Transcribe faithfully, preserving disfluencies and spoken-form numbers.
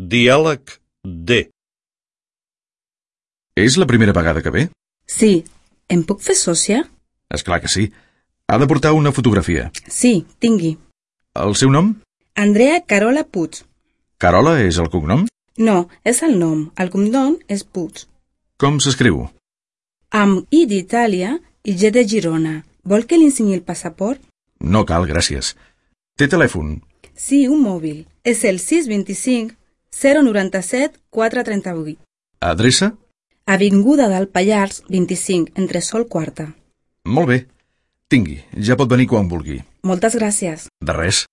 Diàleg D. És la primera vegada que ve? Sí. Em puc fer sòcia? És clar que sí. Ha de portar una fotografia. Sí, tingui. El seu nom? Andrea Carola Puig. Carola és el cognom? No, és el nom. El cognom és Puig. Com s'escriu? Amb I d'Itàlia i G de Girona. Vol que li ensenyi el passaport? No cal, gràcies. Té telèfon? Sí, un mòbil. És el sis dos cinc zero nou set quatre tres vuit. Adreça? Avinguda del Pallars, vint-i-cinc, entresòl quarta. Molt bé. Tingui, ja pot venir quan vulgui. Moltes gràcies. De res.